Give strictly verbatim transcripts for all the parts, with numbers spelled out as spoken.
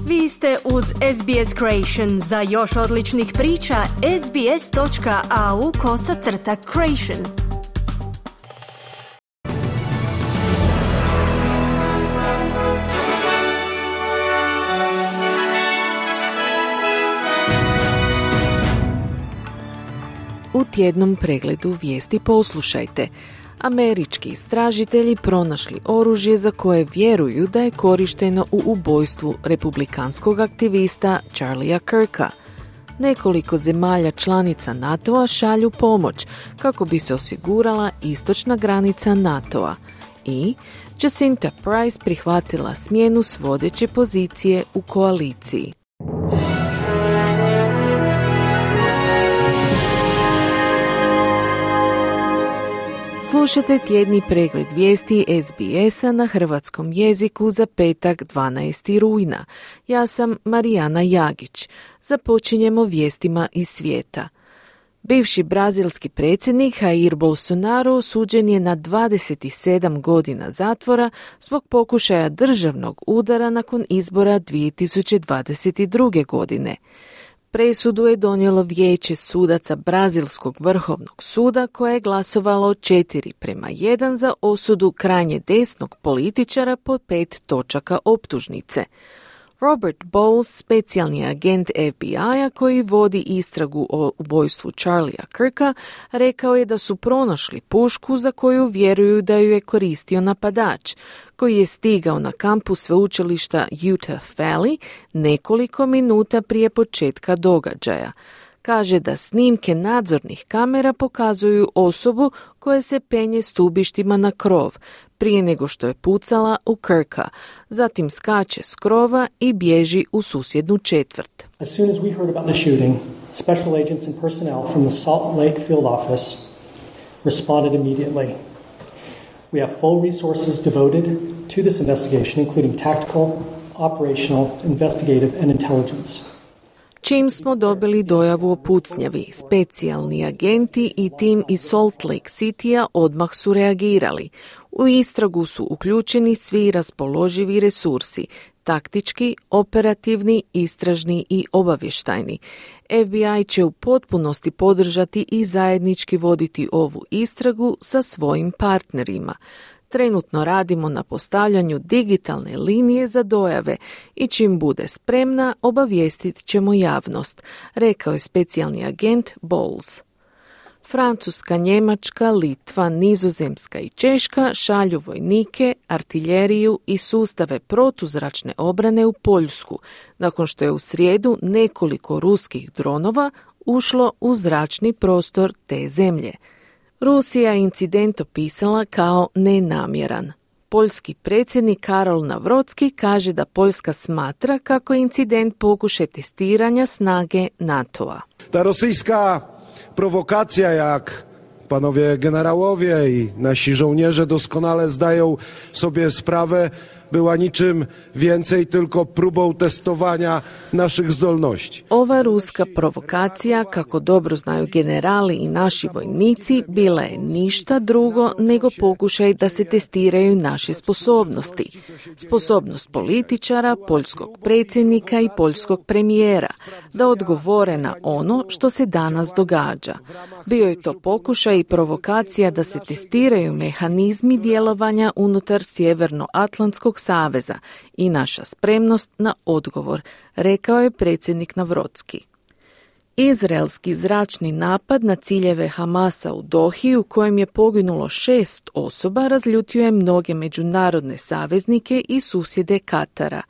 Vi ste uz S B S Creation. Za još odličnih priča, sbs.au kosacrta creation. U tjednom pregledu vijesti poslušajte. Američki istražitelji pronašli oružje za koje vjeruju da je korišteno u ubojstvu republikanskog aktivista Charlie'a Kirka. Nekoliko zemalja članica NATO-a šalju pomoć kako bi se osigurala istočna granica NATO-a. I Jacinta Price prihvatila smjenu s vodeće pozicije u koaliciji. Slušajte tjedni pregled vijesti S B S-a na hrvatskom jeziku za petak dvanaestog rujna. Ja sam Marijana Jagić. Započinjemo vijestima iz svijeta. Bivši brazilski predsjednik Jair Bolsonaro osuđen je na dvadeset sedam godina zatvora zbog pokušaja državnog udara nakon izbora dvije tisuće dvadeset druge. godine. Presudu je donijelo vijeće sudaca Brazilskog vrhovnog suda koje je glasovalo četiri prema jedan za osudu krajnje desnog političara po pet točaka optužnice. Robert Bowles, specijalni agent F B I-a koji vodi istragu o ubojstvu Charlie'a Kirka, rekao je da su pronašli pušku za koju vjeruju da ju je koristio napadač, koji je stigao na kampus sveučilišta Utah Valley nekoliko minuta prije početka događaja. Kaže da snimke nadzornih kamera pokazuju osobu koja se penje stubištima na krov prije nego što je pucala u Kirka, zatim skače s krova i bježi u susjednu četvrt. As soon as we heard about the shooting, special agents and personnel from the Salt Lake field office responded immediately. We have full resources devoted to this investigation, including tactical, operational, investigative and intelligence. Čim smo dobili dojavu o pucnjavi, specijalni agenti i tim iz Salt Lake City-a odmah su reagirali. U istragu su uključeni svi raspoloživi resursi, taktički, operativni, istražni i obavještajni. F B I će u potpunosti podržati i zajednički voditi ovu istragu sa svojim partnerima. Trenutno radimo na postavljanju digitalne linije za dojave i čim bude spremna obavijestit ćemo javnost, rekao je specijalni agent Bowles. Francuska, Njemačka, Litva, Nizozemska i Češka šalju vojnike, artiljeriju i sustave protuzračne obrane u Poljsku, nakon što je u srijedu nekoliko ruskih dronova ušlo u zračni prostor te zemlje. Rusija je incident opisala kao nenamjeran. Poljski predsjednik Karol Nawrocki kaže da Poljska smatra kako je incident pokušaj testiranja snage NATO-a. Ta rosyjska prowokacja, jak panowie generałowie i nasi żołnierze doskonale zdają sobie sprawę, była niczym więcej tylko próbą testowania naszych zdolności. Ova ruska provokacija, kako dobro znaju generali i naši vojnici, bila je ništa drugo nego pokušaj da se testiraju naše sposobnosti. Sposobnost političara, poljskog predsjednika i poljskog premijera da odgovore na ono što se danas događa. Bio je to pokušaj i provokacija da se testiraju mehanizmi djelovanja unutar Sjevernoatlantskog saveza i naša spremnost na odgovor, rekao je predsjednik Nawrocki. Izraelski zračni napad na ciljeve Hamasa u Dohi, u kojem je poginulo šest osoba, razljutio je mnoge međunarodne saveznike i susjede Katara.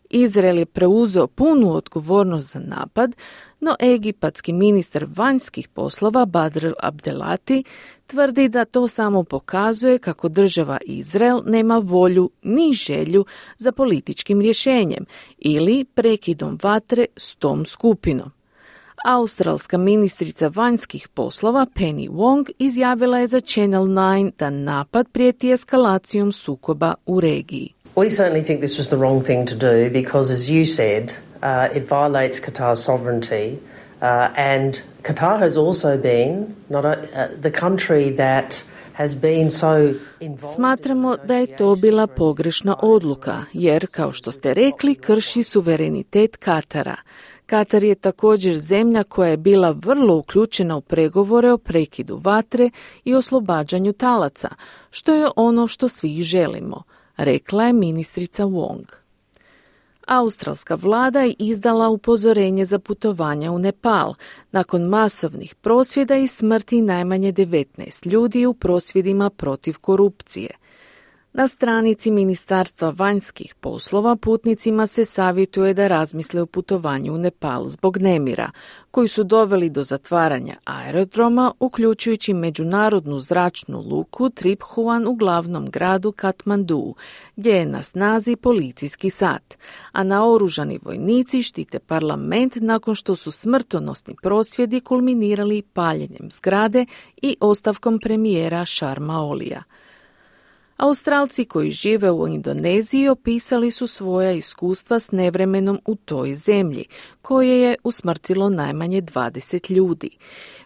Izrael je preuzeo punu odgovornost za napad, no egipatski ministar vanjskih poslova Badr Abdelati tvrdi da to samo pokazuje kako država Izrael nema volju ni želju za političkim rješenjem ili prekidom vatre s tom skupinom. Australska ministrica vanjskih poslova Penny Wong izjavila je za Channel nine da napad prijeti eskalacijom sukoba u regiji. We certainly think this was the wrong thing to do because, as you said, uh, it violates Qatar's sovereignty uh, and Qatar has also been not a, uh, the country that has been so involved. Smatramo da je to bila pogrešna odluka, jer, kao što ste rekli, krši suverenitet Katara. Katar je također zemlja koja je bila vrlo uključena u pregovore o prekidu vatre i oslobađanju talaca, što je ono što svi želimo, rekla je ministrica Wong. Australska vlada je izdala upozorenje za putovanja u Nepal nakon masovnih prosvjeda i smrti najmanje devetnaest ljudi u prosvjedima protiv korupcije. Na stranici Ministarstva vanjskih poslova putnicima se savjetuje da razmisle o putovanju u Nepal zbog nemira, koji su doveli do zatvaranja aerodroma, uključujući međunarodnu zračnu luku Tribhuvan u glavnom gradu Katmandu, gdje je na snazi policijski sat, a naoružani vojnici štite parlament nakon što su smrtonosni prosvjedi kulminirali paljenjem zgrade i ostavkom premijera Sharma Olija. Australci koji žive u Indoneziji opisali su svoja iskustva s nevremenom u toj zemlji, koje je usmrtilo najmanje dvadeset ljudi.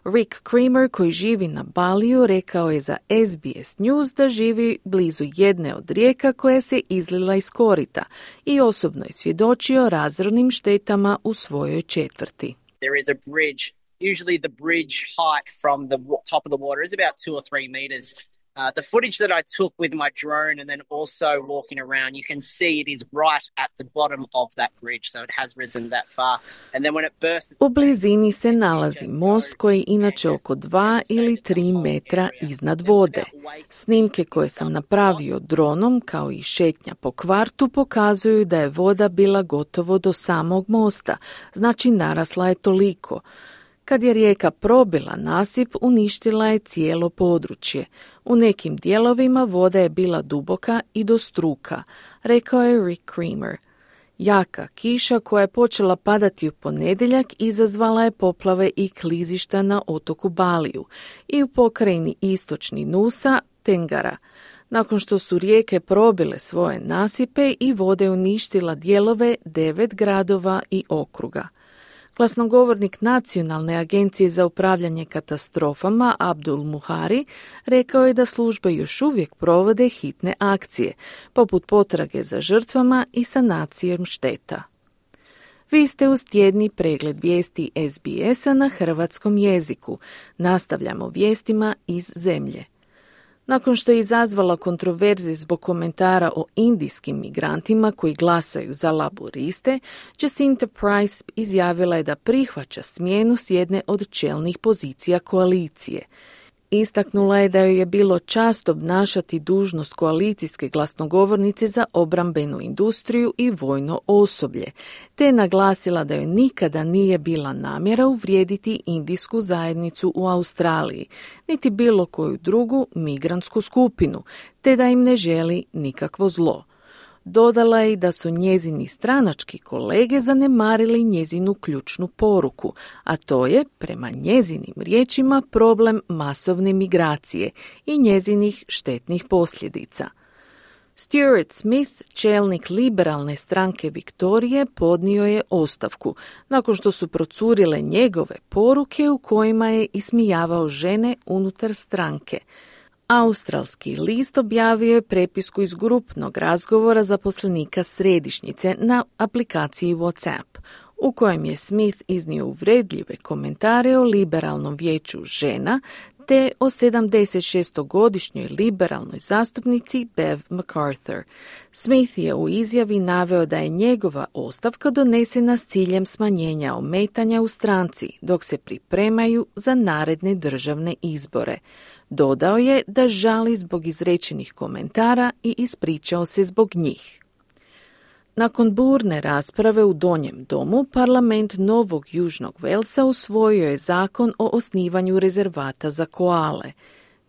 Rick Creamer, koji živi na Baliju, rekao je za S B S News da živi blizu jedne od rijeka koja se izlila iz korita i osobno je svjedočio razornim štetama u svojoj četvrti. There is a bridge. Usually the bridge height from the top of the water is about two or three meters. Uh, the footage that I took with my drone and then also walking around, you can see it is right at the bottom of that bridge, so it has risen that far. And then when it bursts... U blizini se nalazi most koji je inače oko dva ili tri metra iznad vode. Snimke koje sam napravio dronom, kao i šetnja po kvartu, pokazuju da je voda bila gotovo do samog mosta, znači narasla je toliko. Kad je rijeka probila nasip, uništila je cijelo područje. U nekim dijelovima voda je bila duboka i do struka, rekao je Rick Creamer. Jaka kiša koja je počela padati u ponedjeljak izazvala je poplave i klizišta na otoku Baliju i u pokrajini istočni Nusa, Tengara. Nakon što su rijeke probile svoje nasipe i vode uništila dijelove devet gradova i okruga. Glasnogovornik Nacionalne agencije za upravljanje katastrofama Abdul Muhari rekao je da službe još uvijek provode hitne akcije, poput potrage za žrtvama i sanacijom šteta. Vi ste uz tjedni pregled vijesti S B S-a na hrvatskom jeziku. Nastavljamo vijestima iz zemlje. Nakon što je izazvala kontroverze zbog komentara o indijskim migrantima koji glasaju za laboriste, Jacinta Price izjavila je da prihvaća smjenu s jedne od čelnih pozicija koalicije. Istaknula je da joj je bilo čast obnašati dužnost koalicijske glasnogovornice za obrambenu industriju i vojno osoblje, te je naglasila da joj nikada nije bila namjera uvrijediti indijsku zajednicu u Australiji, niti bilo koju drugu migrantsku skupinu, te da im ne želi nikakvo zlo. Dodala je da su njezini stranački kolege zanemarili njezinu ključnu poruku, a to je, prema njezinim riječima, problem masovne migracije i njezinih štetnih posljedica. Stuart Smith, čelnik liberalne stranke Viktorije, podnio je ostavku nakon što su procurile njegove poruke u kojima je ismijavao žene unutar stranke. Australski list objavio je prepisku iz grupnog razgovora zaposlenika središnjice na aplikaciji WhatsApp, u kojem je Smith iznio uvredljive komentare o liberalnom vijeću žena te o sedamdesetšestogodišnjoj liberalnoj zastupnici Bev MacArthur. Smith je u izjavi naveo da je njegova ostavka donesena s ciljem smanjenja ometanja u stranci dok se pripremaju za naredne državne izbore. Dodao je da žali zbog izrečenih komentara i ispričao se zbog njih. Nakon burne rasprave u Donjem domu, parlament Novog Južnog Velsa usvojio je zakon o osnivanju rezervata za koale.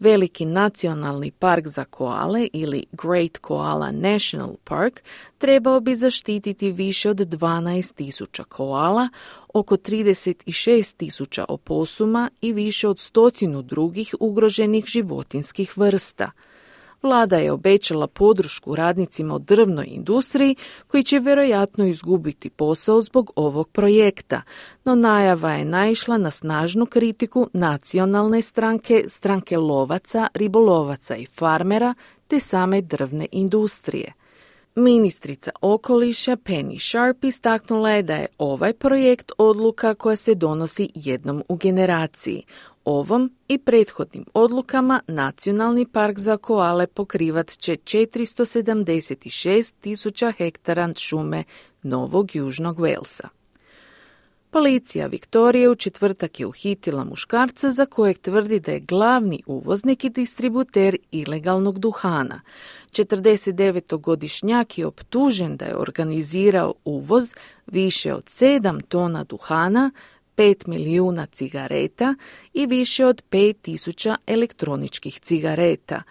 Veliki nacionalni park za koale ili Great Koala National Park trebao bi zaštititi više od dvanaest tisuća koala, oko trideset šest tisuća oposuma i više od stotinu drugih ugroženih životinskih vrsta. Vlada je obećala podršku radnicima u drvnoj industriji koji će vjerojatno izgubiti posao zbog ovog projekta, no najava je naišla na snažnu kritiku nacionalne stranke, stranke lovaca, ribolovaca i farmera te same drvne industrije. Ministrica okoliša Penny Sharp istaknula je da je ovaj projekt odluka koja se donosi jednom u generaciji. Ovom i prethodnim odlukama Nacionalni park za koale pokrivat će četiristo sedamdeset šest tisuća hektara šume Novog Južnog Velsa. Policija Viktorije u četvrtak je uhitila muškarca za kojeg tvrdi da je glavni uvoznik i distributer ilegalnog duhana. četrdesetdevetogodišnjak je optužen da je organizirao uvoz više od sedam tona duhana, pet milijuna cigareta i više od pet tisuća elektroničkih cigareta.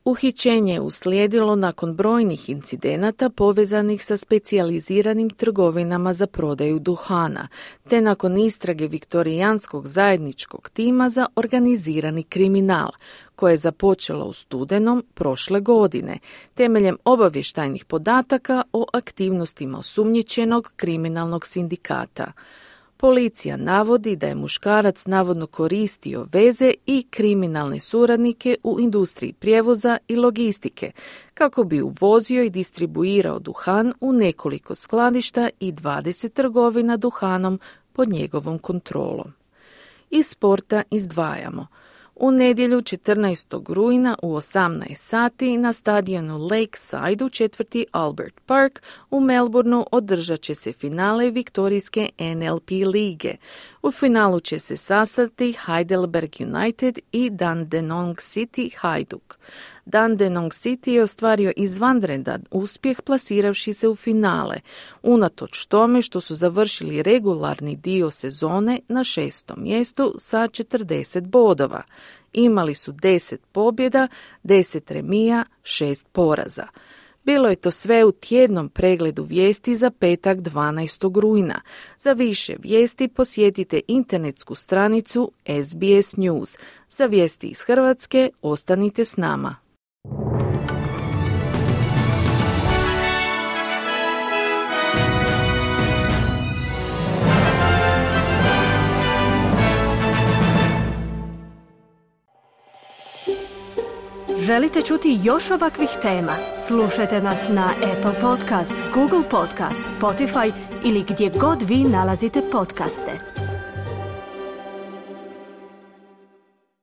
Uhićenje je uslijedilo nakon brojnih incidenata povezanih sa specijaliziranim trgovinama za prodaju duhana, te nakon istrage Viktorijanskog zajedničkog tima za organizirani kriminal, koje je započelo u studenom prošle godine, temeljem obavještajnih podataka o aktivnostima osumnjičenog kriminalnog sindikata. Policija navodi da je muškarac navodno koristio veze i kriminalne suradnike u industriji prijevoza i logistike kako bi uvozio i distribuirao duhan u nekoliko skladišta i dvadeset trgovina duhanom pod njegovom kontrolom. Iz sporta izdvajamo. U nedjelju četrnaestog rujna u osamnaest sati na stadionu Lakeside u četvrti Albert Park u Melbourneu održat će se finale viktorijske N L P lige. U finalu će se sastati Heidelberg United i Dandenong City Hajduk. Dandenong City je ostvario izvanredan uspjeh plasiravši se u finale, unatoč tome što su završili regularni dio sezone na šestom mjestu sa četrdeset bodova. Imali su deset pobjeda, deset remija, šest poraza. Bilo je to sve u tjednom pregledu vijesti za petak dvanaestog rujna. Za više vijesti posjetite internetsku stranicu S B S News. Za vijesti iz Hrvatske ostanite s nama. Želite čuti još ovakvih tema? Slušajte nas na Apple Podcast, Google Podcast, Spotify ili gdje god vi nalazite podcaste.